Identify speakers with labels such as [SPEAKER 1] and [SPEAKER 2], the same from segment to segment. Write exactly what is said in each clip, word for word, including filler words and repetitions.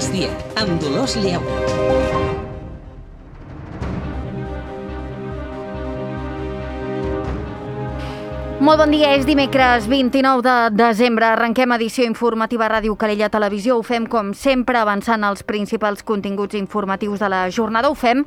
[SPEAKER 1] migdia, amb Dolors Lleu.
[SPEAKER 2] Molt bon dia, és dimecres vint-i-nou de desembre. Arrenquem edició informativa a Ràdio Calella Televisió. Ho fem, com sempre, avançant els principals continguts informatius de la jornada. Ho fem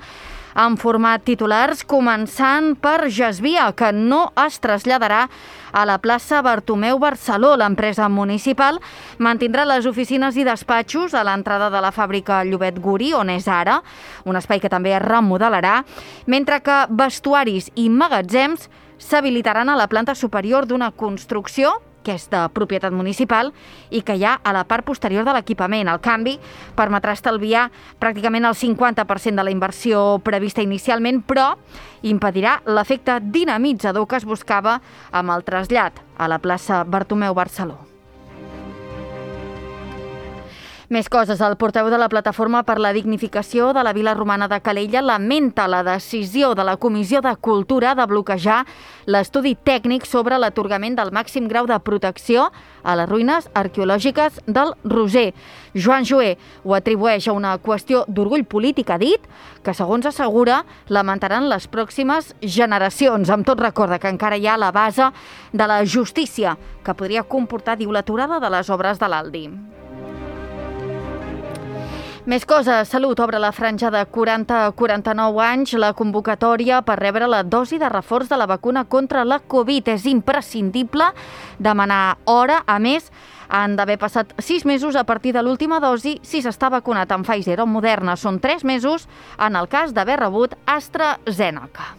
[SPEAKER 2] en format titulars, començant per Gesvia, que no es traslladarà a la plaça Bartomeu Barceló. L'empresa municipal mantindrà les oficines i despatxos a l'entrada de la fàbrica Llobet Guri, on és ara, un espai que també es remodelarà, mentre que vestuaris i magatzems s'habilitaran a la planta superior d'una construcció que és de propietat municipal i que hi ha a la part posterior de l'equipament. El canvi permetrà estalviar pràcticament el cinquanta per cent de la inversió prevista inicialment, però impedirà l'efecte dinamitzador que es buscava amb el trasllat a la plaça Bartomeu Barceló. Més coses. El portaveu de la Plataforma per la Dignificació de la Vila Romana de Calella lamenta la decisió de la Comissió de Cultura de bloquejar l'estudi tècnic sobre l'atorgament del màxim grau de protecció a les ruïnes arqueològiques del Roser. Joan Joé ho atribueix a una qüestió d'orgull polític, ha dit, que, segons assegura, lamentaran les pròximes generacions. Amb tot, recorda que encara hi ha la base de la justícia, que podria comportar, diu, l'aturada de les obres de l'Aldi. Més coses. Salut obre la franja de quaranta a quaranta-nou anys la convocatòria per rebre la dosi de reforç de la vacuna contra la Covid. És imprescindible demanar hora. A més, han d'haver passat sis mesos a partir de l'última dosi si s'està vacunat amb Pfizer o Moderna. Són tres mesos en el cas d'haver rebut AstraZeneca.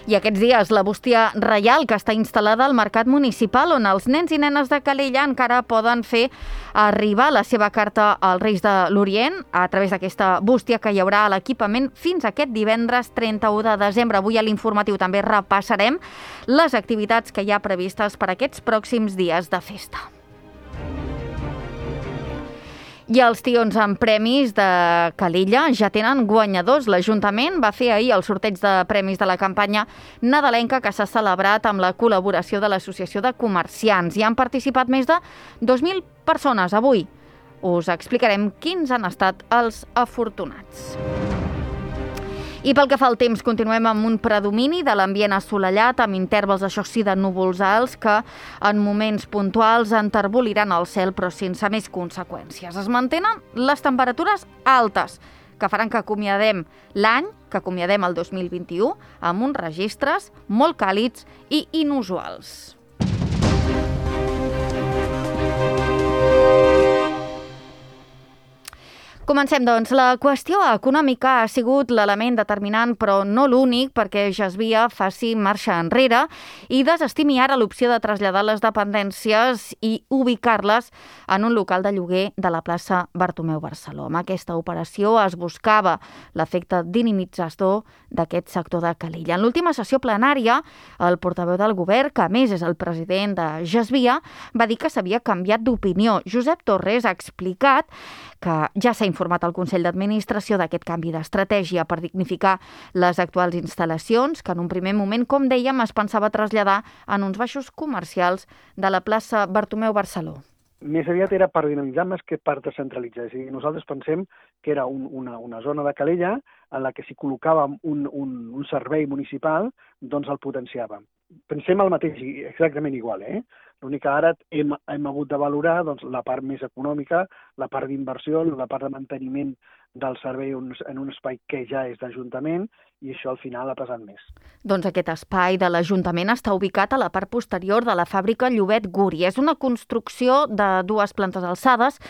[SPEAKER 2] I aquests dies la bústia reial que està instal·lada al mercat municipal, on els nens i nenes de Calella encara poden fer arribar la seva carta als Reis de l'Orient a través d'aquesta bústia que hi haurà a l'equipament fins aquest divendres trenta-u de desembre. Avui a l'informatiu també repassarem les activitats que hi ha previstes per aquests pròxims dies de festa. I els tions amb premis de Calella ja tenen guanyadors. L'Ajuntament va fer ahir el sorteig de premis de la campanya nadalenca que s'ha celebrat amb la col·laboració de l'Associació de Comerciants. Hi han participat més de dos mil persones. Avui us explicarem quins han estat els afortunats. I pel que fa al temps, continuem amb un predomini de l'ambient assolellat, amb intervals, això sí, de núvols alts que en moments puntuals enterboliran el cel, però sense més conseqüències. Es mantenen les temperatures altes, que faran que acomiadem l'any, que acomiadem el dos mil vint-i-u, amb uns registres molt càlids i inusuals. Comencem, doncs. La qüestió econòmica ha sigut l'element determinant, però no l'únic, perquè Gesvia faci marxa enrere i desestimi ara l'opció de traslladar les dependències i ubicar-les en un local de lloguer de la plaça Bartomeu Barceló. Amb aquesta operació es buscava l'efecte dinamitzador d'aquest sector de Calella. En l'última sessió plenària, el portaveu del govern, que a més és el president de Gesvia, va dir que s'havia canviat d'opinió. Josep Torres ha explicat que ja s'ha informat el Consell d'Administració d'aquest canvi d'estratègia per dignificar les actuals instal·lacions, que en un primer moment, com dèiem, es pensava traslladar en uns baixos comercials de la plaça Bartomeu Barceló.
[SPEAKER 3] Més aviat era per dinamitzar més que per descentralitzar. És a dir, nosaltres pensem que era un, una, una zona de Calella en la que si col·locàvem un, un, un servei municipal, doncs el potenciàvem. Pensem el mateix, exactament igual, eh? L'únic que ara hem, hem hagut de valorar doncs, la part més econòmica, la part d'inversió, la part de manteniment del servei en un espai que ja és d'Ajuntament, i això al final ha pesat més.
[SPEAKER 2] Doncs aquest espai de l'Ajuntament està ubicat a la part posterior de la fàbrica Llobet Guri. És una construcció de dues plantes alçades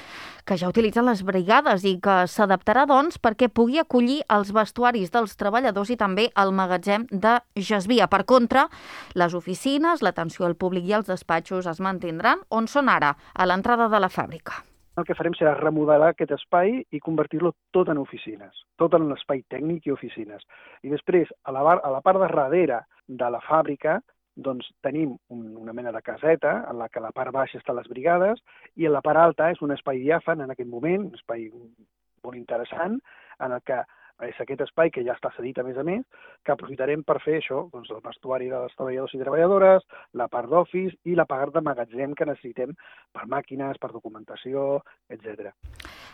[SPEAKER 2] que ja utilitzen les brigades i que s'adaptarà, doncs, perquè pugui acollir els vestuaris dels treballadors i també el magatzem de Gesvia. Per contra, les oficines, l'atenció al públic i els despatxos es mantindran on són ara, a l'entrada de la fàbrica.
[SPEAKER 3] El que farem serà remodelar aquest espai i convertir-lo tot en oficines, tot en l'espai tècnic i oficines. I després, a la, bar, a la part de darrere de la fàbrica, doncs tenim un, una mena de caseta en la que a la part baixa estan les brigades i a la part alta és un espai diàfan en aquest moment, un espai molt interessant, en el que És aquest espai que ja està cedit, a més a més, que aprofitarem per fer això, doncs el vestuari dels treballadors i treballadores, la part d'office i la part de magatzem que necessitem per màquines, per documentació, etcètera.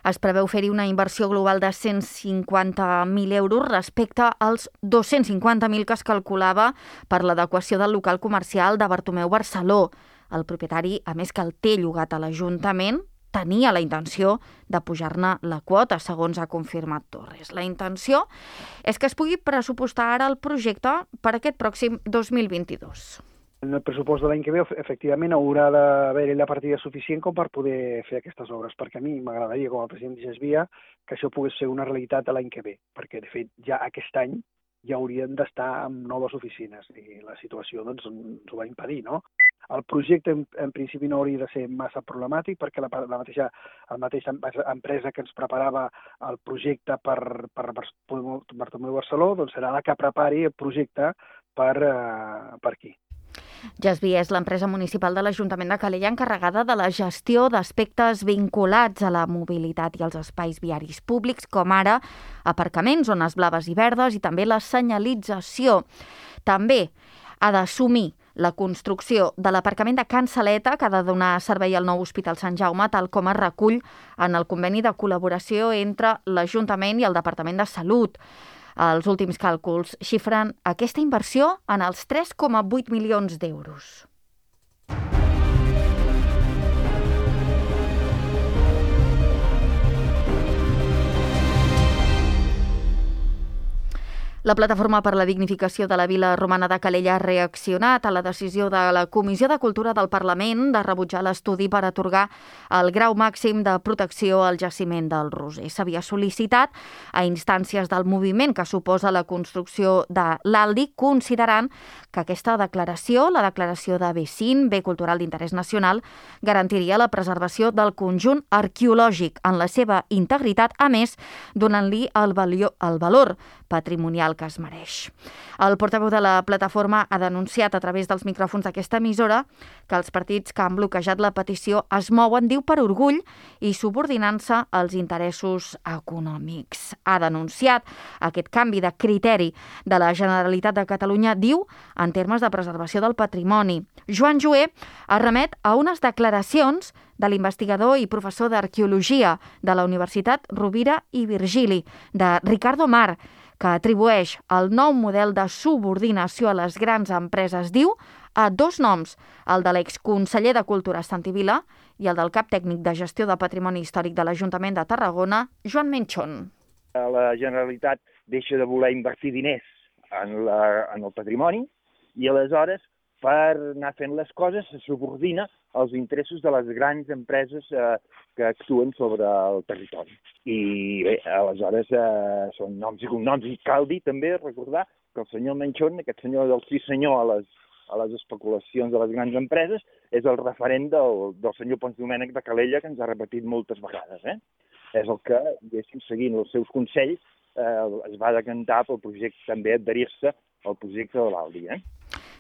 [SPEAKER 2] Es preveu fer-hi una inversió global de cent cinquanta mil euros respecte als dos-cents cinquanta mil que es calculava per l'adequació del local comercial de Bartomeu Barceló. El propietari, a més que el té llogat a l'Ajuntament, tenia la intenció de pujar-ne la quota, segons ha confirmat Torres. La intenció és que es pugui pressupostar ara el projecte per aquest pròxim dos mil vint-i-dos.
[SPEAKER 3] En el pressupost de l'any que ve, efectivament, haurà d'haver-hi la partida suficient com per poder fer aquestes obres, perquè a mi m'agradaria, com el president Gesvia, que això pogués ser una realitat l'any que ve, perquè, de fet, ja aquest any ja haurien d'estar amb noves oficines i la situació doncs, ens ho va impedir, no? El projecte, en, en principi, no hauria de ser massa problemàtic perquè la, la, mateixa, la mateixa empresa que ens preparava el projecte per, per Bartomeu Barceló doncs serà la que prepari el projecte per, uh, per aquí.
[SPEAKER 2] Gesvia és l'empresa municipal de l'Ajuntament de Calella encarregada de la gestió d'aspectes vinculats a la mobilitat i als espais viaris públics, com ara aparcaments, zones blaves i verdes i també la senyalització. També ha d'assumir la construcció de l'aparcament de Can Saleta, que ha de donar servei al nou Hospital Sant Jaume, tal com es recull en el conveni de col·laboració entre l'Ajuntament i el Departament de Salut. Els últims càlculs xifren aquesta inversió en els tres coma vuit milions d'euros. La Plataforma per la Dignificació de la Vila Romana de Calella ha reaccionat a la decisió de la Comissió de Cultura del Parlament de rebutjar l'estudi per atorgar el grau màxim de protecció al jaciment del Roser. S'havia sol·licitat a instàncies del moviment que suposa la construcció de l'Aldi, considerant que aquesta declaració, la declaració de bé cinc, bé cultural d'interès nacional, garantiria la preservació del conjunt arqueològic en la seva integritat, a més, donant-li el, el valor patrimonial que es mereix. El portaveu de la plataforma ha denunciat a través dels micròfons d'aquesta emissora que els partits que han bloquejat la petició es mouen, diu, per orgull i subordinant-se als interessos econòmics. Ha denunciat aquest canvi de criteri de la Generalitat de Catalunya, diu, en termes de preservació del patrimoni. Joan Joé es remet a unes declaracions de l'investigador i professor d'arqueologia de la Universitat Rovira i Virgili, de Ricardo Mar, que atribueix el nou model de subordinació a les grans empreses, diu, a dos noms, el de l'exconseller de Cultura Santi Vila i el del cap tècnic de gestió de patrimoni històric de l'Ajuntament de Tarragona, Joan Menchón.
[SPEAKER 1] La Generalitat deixa de voler invertir diners en, la, en el patrimoni i aleshores, per anar fent les coses, se subordina als interessos de les grans empreses eh, que actuen sobre el territori. I bé, aleshores eh, són noms i cognoms. I cal dir també, recordar, que el senyor Menchón, aquest senyor del sí senyor a les, a les especulacions de les grans empreses, és el referent del, del senyor Pons Domènech de Calella, que ens ha repetit moltes vegades. Eh? És el que, diguéssim, seguint els seus consells, eh, es va decantar pel projecte, també adherir-se al projecte de l'Aldi. Eh?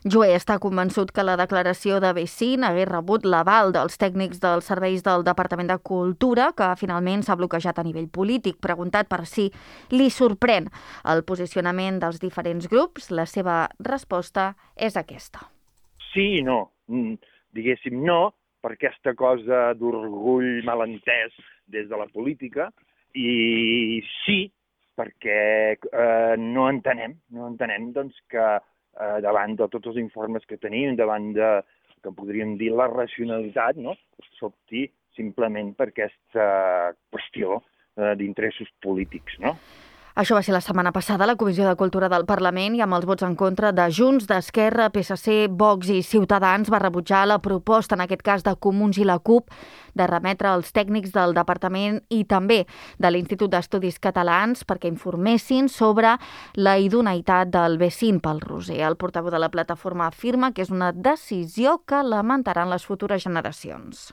[SPEAKER 2] Joé està convençut que la declaració de bé cinc hagués rebut l'aval dels tècnics dels serveis del Departament de Cultura, que finalment s'ha bloquejat a nivell polític. Preguntat per si li sorprèn el posicionament dels diferents grups, la seva resposta és aquesta.
[SPEAKER 1] Sí i no. Diguéssim no, per aquesta cosa d'orgull malentès des de la política, i sí, perquè eh, no entenem, no entenem doncs, que Eh, davant de tots els informes que tenim, davant de, que podríem dir, la racionalitat, no? S'opti simplement per aquesta qüestió eh, d'interessos polítics, no?
[SPEAKER 2] Això va ser la setmana passada a la Comissió de Cultura del Parlament i amb els vots en contra de Junts, d'Esquerra, P S C, Vox i Ciutadans va rebutjar la proposta, en aquest cas de Comuns i la CUP, de remetre als tècnics del Departament i també de l'Institut d'Estudis Catalans perquè informessin sobre la idoneïtat del bé cinc pel Roser. El portaveu de la plataforma afirma que és una decisió que lamentaran les futures generacions.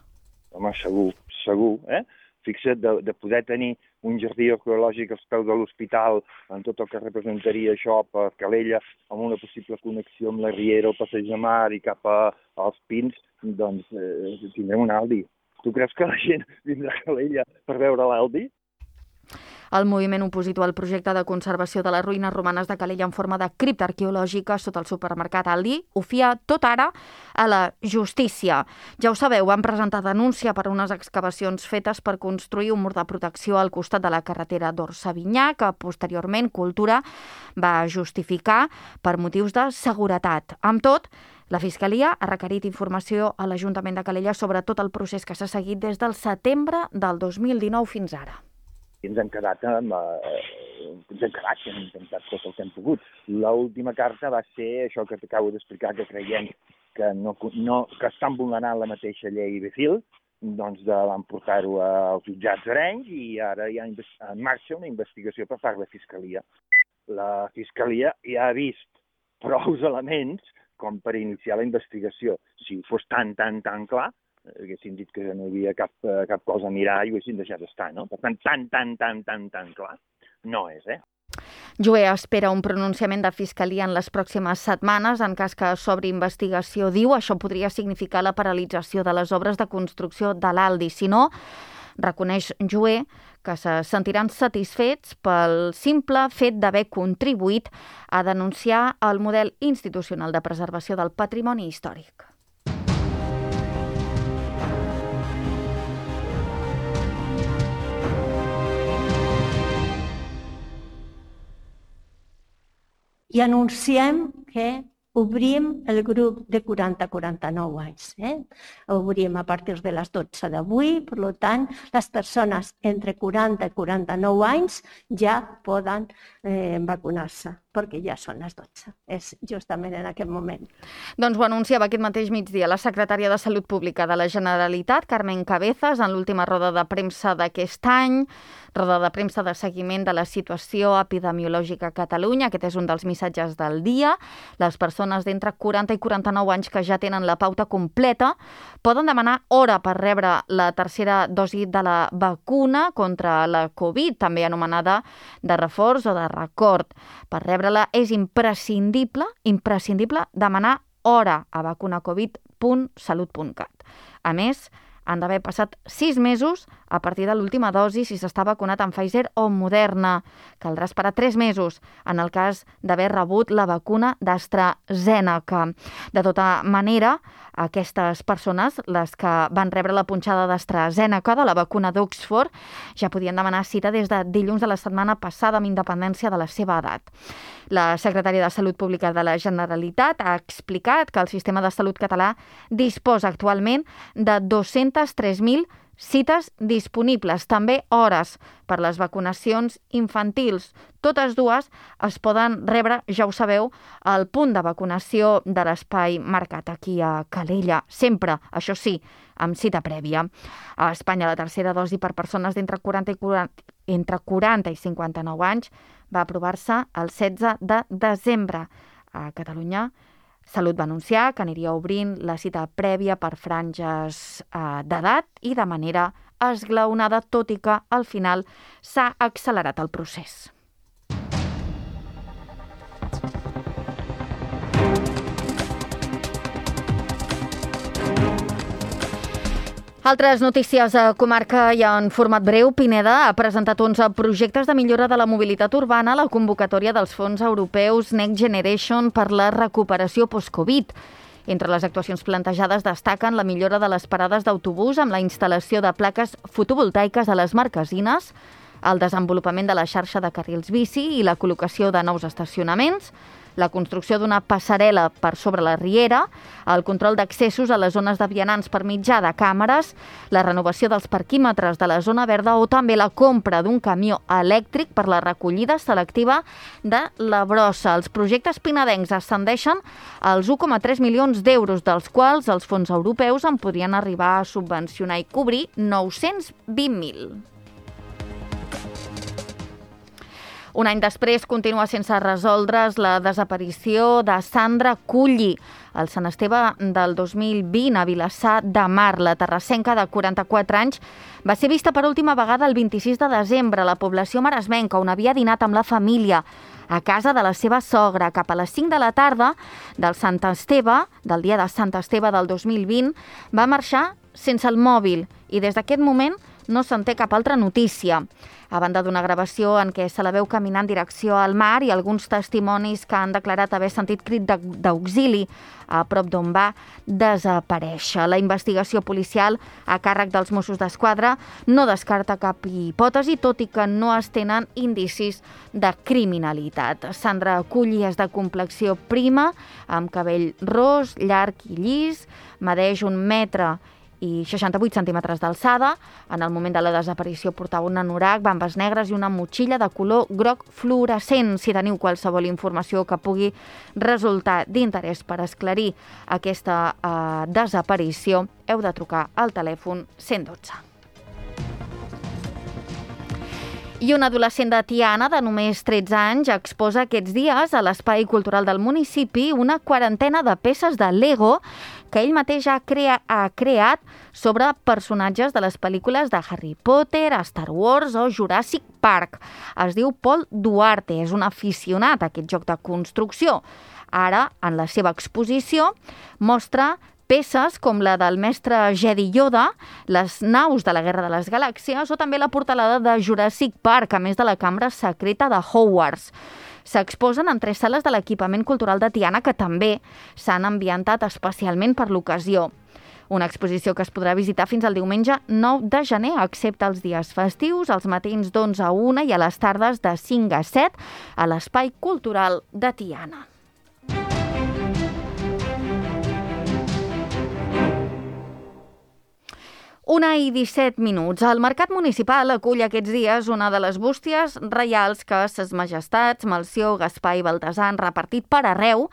[SPEAKER 1] Home, segur, segur, eh? Fixa't, de, de poder tenir un jardí arqueològic als peus de l'hospital, en tot el que representaria això per Calella, amb una possible connexió amb la Riera, el Passeig de Mar i cap a, als Pins, doncs eh, tindrem un Aldi. Tu creus que la gent vindrà a Calella per veure l'Aldi?
[SPEAKER 2] El moviment opositor al projecte de conservació de les ruïnes romanes de Calella en forma de cripta arqueològica sota el supermercat Aldi ho fia tot ara a la justícia. Ja ho sabeu, van presentar denúncia per unes excavacions fetes per construir un mur de protecció al costat de la carretera d'Or-Savinyà, que posteriorment Cultura va justificar per motius de seguretat. Amb tot, la Fiscalia ha requerit informació a l'Ajuntament de Calella sobre tot el procés que s'ha seguit des del setembre del dos mil dinou fins ara.
[SPEAKER 1] I ens hem quedat amb... Eh, ens hem quedat, hem intentat tot el que hem pogut. L'última carta va ser això que t'acabo d'explicar, que creiem que, no, no, que estan vulnerant la mateixa llei Befil, doncs de, van portar-ho als jutjats d'Arenys i ara hi ha en marxa una investigació per part de la Fiscalia. La Fiscalia ja ha vist prou elements com per iniciar la investigació. Si fos tan, tan, tan clar, haguessin dit que no hi havia cap, cap cosa a mirar i ho haguessin deixat estar, no? Per tant, tan, tan, tan, tan, tan clar no és, eh?
[SPEAKER 2] Joé espera un pronunciament de Fiscalia en les pròximes setmanes. En cas que s'obri investigació, diu, això podria significar la paralització de les obres de construcció de l'Aldi. Si no, reconeix Joé que se sentiran satisfets pel simple fet d'haver contribuït a denunciar el model institucional de preservació del patrimoni històric.
[SPEAKER 4] I anunciem que obrim el grup de quaranta a quaranta-nou anys. Eh? Obrim a partir de les dotze d'avui, per tant, les persones entre quaranta i quaranta-nou anys ja poden eh, vacunar-se, perquè ja són les dotze. És justament en aquest moment.
[SPEAKER 2] Doncs ho anunciava aquest mateix migdia la secretària de Salut Pública de la Generalitat, Carmen Cabezas, en l'última roda de premsa d'aquest any, roda de premsa de seguiment de la situació epidemiològica a Catalunya. Aquest és un dels missatges del dia. Les persones d'entre quaranta i quaranta-nou anys que ja tenen la pauta completa poden demanar hora per rebre la tercera dosi de la vacuna contra la Covid, també anomenada de reforç o de record. Per rebre-la és imprescindible, imprescindible demanar hora a vacunacovid punt salut punt cat. A més, han d'haver passat sis mesos a partir de l'última dosi si s'està vacunat amb Pfizer o Moderna. Caldrà esperar tres mesos en el cas d'haver rebut la vacuna d'AstraZeneca. De tota manera, aquestes persones, les que van rebre la punxada d'AstraZeneca de la vacuna d'Oxford, ja podien demanar cita des de dilluns de la setmana passada amb independència de la seva edat. La secretària de Salut Pública de la Generalitat ha explicat que el sistema de salut català disposa actualment de dos-cents tres mil cites disponibles, també hores per les vacunacions infantils. Totes dues es poden rebre, ja ho sabeu, al punt de vacunació de l'espai marcat aquí a Calella. Sempre, això sí, amb cita prèvia. A Espanya, la tercera dosi per persones d'entre quaranta i quaranta, entre quaranta i cinquanta-nou anys va aprovar-se el setze de desembre. A Catalunya, Salut va anunciar que aniria obrint la cita prèvia per franges eh, d'edat i de manera esglaonada, tot i que al final s'ha accelerat el procés. Altres notícies a comarca i en format breu. Pineda ha presentat onze projectes de millora de la mobilitat urbana a la convocatòria dels fons europeus Next Generation per la recuperació post-Covid. Entre les actuacions plantejades destaquen la millora de les parades d'autobús amb la instal·lació de plaques fotovoltaiques a les marquesines, el desenvolupament de la xarxa de carrils bici i la col·locació de nous estacionaments, la construcció d'una passarel·la per sobre la riera, el control d'accessos a les zones de vianants per mitjà de càmeres, la renovació dels parquímetres de la zona verda o també la compra d'un camió elèctric per la recollida selectiva de la brossa. Els projectes pinedencs ascendeixen als un coma tres milions d'euros, dels quals els fons europeus en podrien arribar a subvencionar i cobrir nou-cents vint mil. Un any després continua sense resoldre's la desaparició de Sandra Culli. El Sant Esteve del dos mil vint a Vilassar de Mar, la terrassenca de quaranta-quatre anys, va ser vista per última vegada el vint-i-sis de desembre a la població maresmenca, on havia dinat amb la família a casa de la seva sogra. Cap a les cinc de la tarda del Sant Esteve, del dia de Sant Esteve del dos mil vint, va marxar sense el mòbil i des d'aquest moment no se'n té cap altra notícia. A banda d'una gravació en què se la veu caminar en direcció al mar i alguns testimonis que han declarat haver sentit crit d'auxili a prop d'on va desaparèixer. La investigació policial a càrrec dels Mossos d'Esquadra no descarta cap hipòtesi, tot i que no es tenen indicis de criminalitat. Sandra Culli és de complexió prima, amb cabell ros, llarg i llis, medeix un metre i seixanta-vuit centímetres d'alçada. En el moment de la desaparició portava un anorac, bambes negres i una motxilla de color groc fluorescent. Si teniu qualsevol informació que pugui resultar d'interès per esclarir aquesta eh, desaparició, heu de trucar al telèfon cent dotze. I un adolescent de Tiana, de només tretze anys, exposa aquests dies a l'Espai Cultural del municipi una quarantena de peces de Lego que ell mateix ha, crea ha creat sobre personatges de les pel·lícules de Harry Potter, Star Wars o Jurassic Park. Es diu Pol Duarte, és un aficionat a aquest joc de construcció. Ara, en la seva exposició, mostra peces com la del mestre Jedi Yoda, les naus de la Guerra de les Galàxies o també la portalada de Jurassic Park, a més de la cambra secreta de Hogwarts. S'exposen en tres sales de l'equipament cultural de Tiana que també s'han ambientat especialment per l'ocasió. Una exposició que es podrà visitar fins al diumenge nou de gener, excepte els dies festius, els matins d'onze a una i a les tardes de cinc a set a l'Espai Cultural de Tiana. Una i disset minuts. El mercat municipal acull aquests dies una de les bústies reials que ses majestats Melcior, Gaspar i Baltasar han repartit per arreu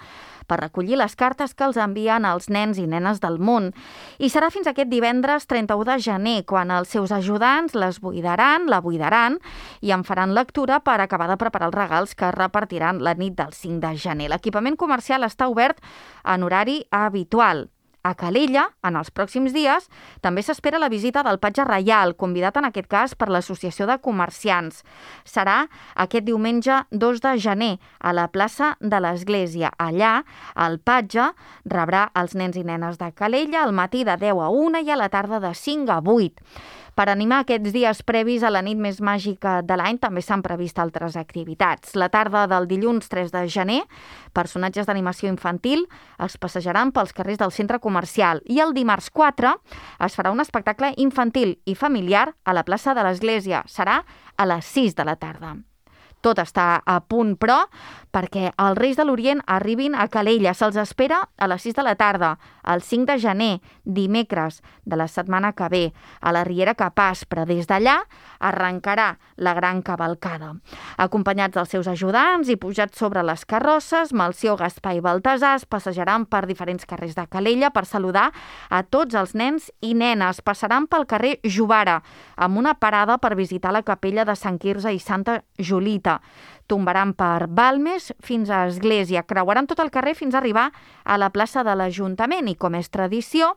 [SPEAKER 2] per recollir les cartes que els envien als nens i nenes del món. I serà fins aquest divendres trenta-u de gener, quan els seus ajudants les buidaran, la buidaran i en faran lectura per acabar de preparar els regals que repartiran la nit del cinc de gener. L'equipament comercial està obert en horari habitual. A Calella, en els pròxims dies, també s'espera la visita del patge reial, convidat en aquest cas per l'Associació de Comerciants. Serà aquest diumenge dos de gener a la plaça de l'Església. Allà, el patge rebrà els nens i nenes de Calella al matí de deu a una i a la tarda de cinc a vuit. Per animar aquests dies previs a la nit més màgica de l'any també s'han previst altres activitats. La tarda del dilluns tres de gener, personatges d'animació infantil es passejaran pels carrers del centre comercial i el dimarts quatre es farà un espectacle infantil i familiar a la plaça de l'Església. Serà a les sis de la tarda. Tot està a punt, però, perquè els Reis de l'Orient arribin a Calella. Se'ls espera a les sis de la tarda, el cinc de gener, dimecres de la setmana que ve, a la Riera Capaç, però des d'allà arrencarà la gran cavalcada. Acompanyats dels seus ajudants i pujats sobre les carrosses, Melcior, Gaspar i Baltasar es passejaran per diferents carrers de Calella per saludar a tots els nens i nenes. Passaran pel carrer Jovara, amb una parada per visitar la capella de Sant Quirze i Santa Julita. Tombaran per Balmes fins a Església, creuaran tot el carrer fins a arribar a la plaça de l'Ajuntament i, com és tradició,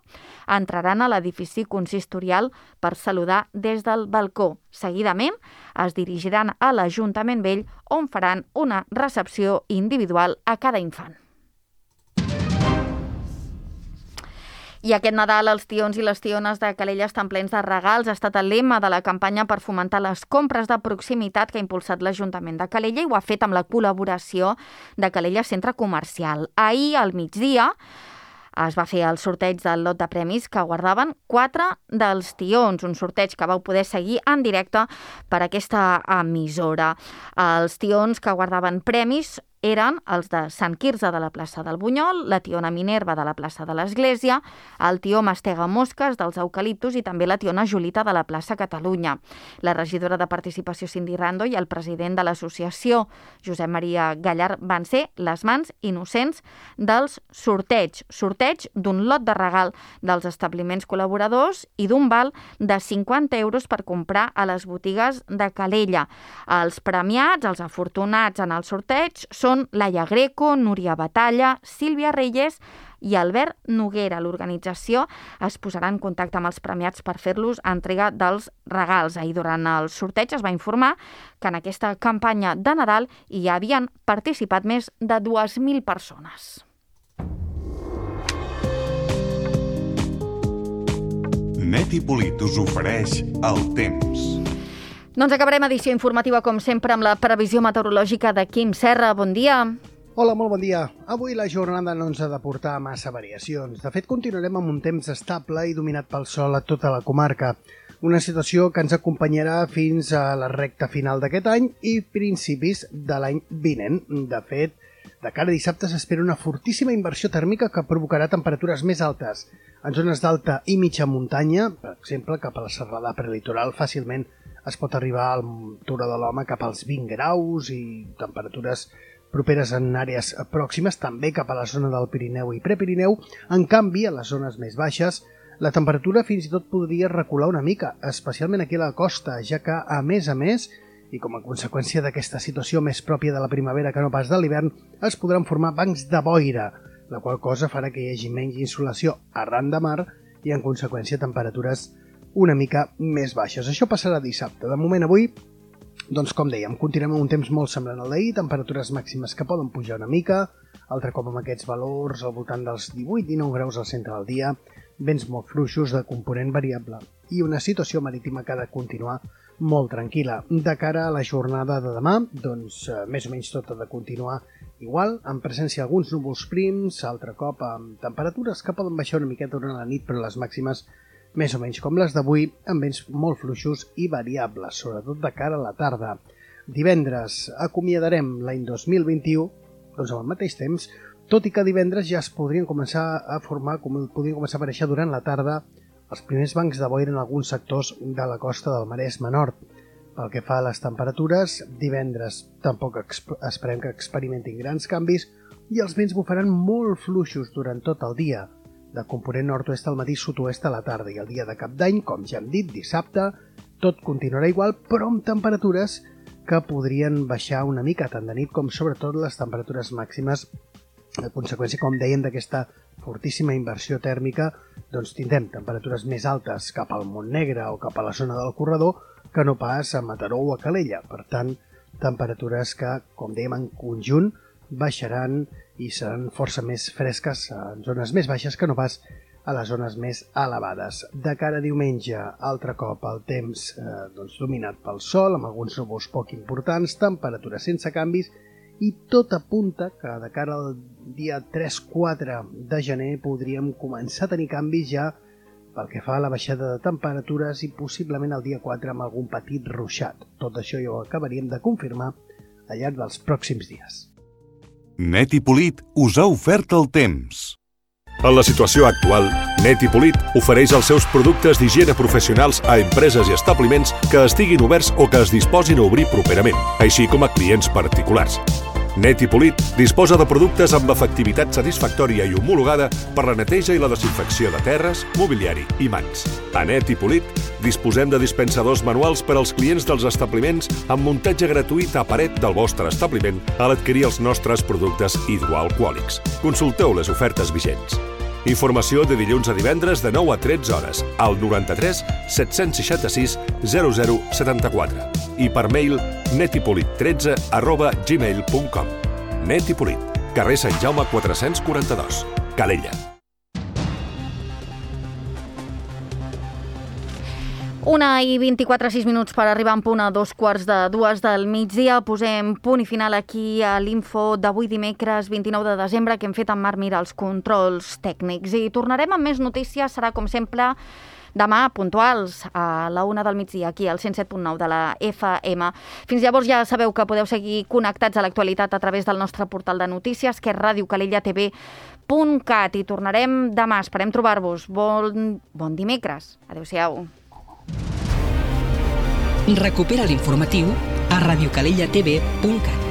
[SPEAKER 2] entraran a l'edifici consistorial per saludar des del balcó. Seguidament es dirigiran a l'Ajuntament Vell, on faran una recepció individual a cada infant. I aquest Nadal els tions i les tiones de Calella estan plens de regals. Ha estat el lema de la campanya per fomentar les compres de proximitat que ha impulsat l'Ajuntament de Calella i ho ha fet amb la col·laboració de Calella Centre Comercial. Ahir, al migdia, es va fer el sorteig del lot de premis que guardaven quatre dels tions, un sorteig que vau poder seguir en directe per aquesta emissora. Els tions que guardaven premis eren els de Sant Quirze de la plaça del Bunyol, la tiona Minerva de la plaça de l'Església, el tió Mastega Mosques dels Eucaliptus i també la tiona Julita de la plaça Catalunya. La regidora de Participació Cindy Rando i el president de l'associació Josep Maria Gallard van ser les mans innocents dels sorteig. Sorteig d'un lot de regal dels establiments col·laboradors i d'un val de cinquanta euros per comprar a les botigues de Calella. Els premiats, els afortunats en el sorteig, són Són Laia Greco, Núria Batalla, Sílvia Reyes i Albert Noguera. L'organització es posarà en contacte amb els premiats per fer-los entrega dels regals. Ahir, durant el sorteig, es va informar que en aquesta campanya de Nadal hi havien participat més de dues mil persones.
[SPEAKER 5] Neti Polit us ofereix el temps.
[SPEAKER 2] Doncs acabarem edició informativa, com sempre, amb la previsió meteorològica de Quim Serra. Bon dia.
[SPEAKER 6] Hola, molt bon dia. Avui la jornada no ens ha de portar massa variacions. De fet, continuarem amb un temps estable i dominat pel sol a tota la comarca. Una situació que ens acompanyarà fins a la recta final d'aquest any i principis de l'any vinent. De fet, de cara a dissabte s'espera una fortíssima inversió tèrmica que provocarà temperatures més altes. En zones d'alta i mitja muntanya, per exemple, cap a la serrada prelitoral, fàcilment es pot arribar al Turó de l'Home cap als vint graus i temperatures properes en àrees pròximes, també cap a la zona del Pirineu i Prepirineu. En canvi, a les zones més baixes, la temperatura fins i tot podria recular una mica, especialment aquí a la costa, ja que, a més a més, i com a conseqüència d'aquesta situació més pròpia de la primavera que no pas de l'hivern, es podran formar bancs de boira, la qual cosa farà que hi hagi menys insolació arran de mar i, en conseqüència, temperatures una mica més baixes. Això passarà dissabte. De moment avui, doncs com dèiem, continuem amb un temps molt semblant al d'ahir, temperatures màximes que poden pujar una mica, altre cop amb aquests valors al voltant dels divuit dinou graus al centre del dia, vents molt fluixos de component variable i una situació marítima que ha de continuar molt tranquil·la. De cara a la jornada de demà, doncs eh, més o menys tot ha de continuar igual, amb presència d'alguns núvols prims, altre cop amb temperatures que poden baixar una miqueta durant la nit, però les màximes més o menys com les d'avui, amb vents molt fluixos i variables, sobretot de cara a la tarda. Divendres acomiadarem l'any dos mil vint-i-u, doncs al mateix temps, tot i que divendres ja es podrien començar a formar, com podrien començar a aparèixer durant la tarda, els primers bancs de boira en alguns sectors de la costa del Maresme Nord. Pel que fa a les temperatures, divendres tampoc esperem que experimentin grans canvis i els vents bufaran molt fluixos durant tot el dia, de component nord-oest al matí, sud-oest a la tarda, i el dia de Cap d'Any, com ja hem dit, dissabte, tot continuarà igual, però amb temperatures que podrien baixar una mica, tant de nit com sobretot les temperatures màximes. A conseqüència, com dèiem, d'aquesta fortíssima inversió tèrmica, doncs tindrem temperatures més altes cap al Montnegre o cap a la zona del Corredor que no pas a Mataró o a Calella. Per tant, temperatures que, com dèiem, en conjunt baixaran i seran força més fresques en zones més baixes que no pas a les zones més elevades. De cara a diumenge, altre cop el temps eh, doncs, dominat pel sol, amb alguns núvols poc importants, temperatures sense canvis, i tot apunta que de cara al dia tres quatre de gener podríem començar a tenir canvis ja pel que fa a la baixada de temperatures i possiblement el dia quatre amb algun petit ruixat. Tot això ja ho acabaríem de confirmar al llarg dels pròxims dies.
[SPEAKER 5] Neti Polit us ha ofert el temps.
[SPEAKER 7] En la situació actual, Neti Polit ofereix els seus productes d'higiene professionals a empreses i establiments que estiguin oberts o que es disposin a obrir properament, així com a clients particulars. Neti Polit disposa de productes amb efectivitat satisfactòria i homologada per la neteja i la desinfecció de terres, mobiliari i mans. A Neti Polit disposem de dispensadors manuals per als clients dels establiments amb muntatge gratuït a paret del vostre establiment a l'adquirir els nostres productes hidroalcohòlics. Consulteu les ofertes vigents. Informació de dilluns a divendres de nou a tretze hores al noranta-tres set-cents seixanta-sis zero zero setanta-quatre i per mail netipolit tretze arroba gmail punt com. Neti Polit, carrer Sant Jaume quatre-cents quaranta-dos, Calella.
[SPEAKER 2] Una i vint-i-quatre, sis minuts per arribar en punt a dos quarts de dues del migdia. Posem punt i final aquí a l'info d'avui dimecres vint-i-nou de desembre que hem fet amb Marc Mira els controls tècnics. I tornarem amb més notícies, serà com sempre demà, puntuals, a la una del migdia, aquí al cent set punt nou de la F M. Fins llavors ja sabeu que podeu seguir connectats a l'actualitat a través del nostre portal de notícies, que és ràdio calella t v punt cat. I tornarem demà, esperem trobar-vos. Bon, bon dimecres. Adéu-siau.
[SPEAKER 8] Recupera l'informatiu a radiocalella t v punt cat.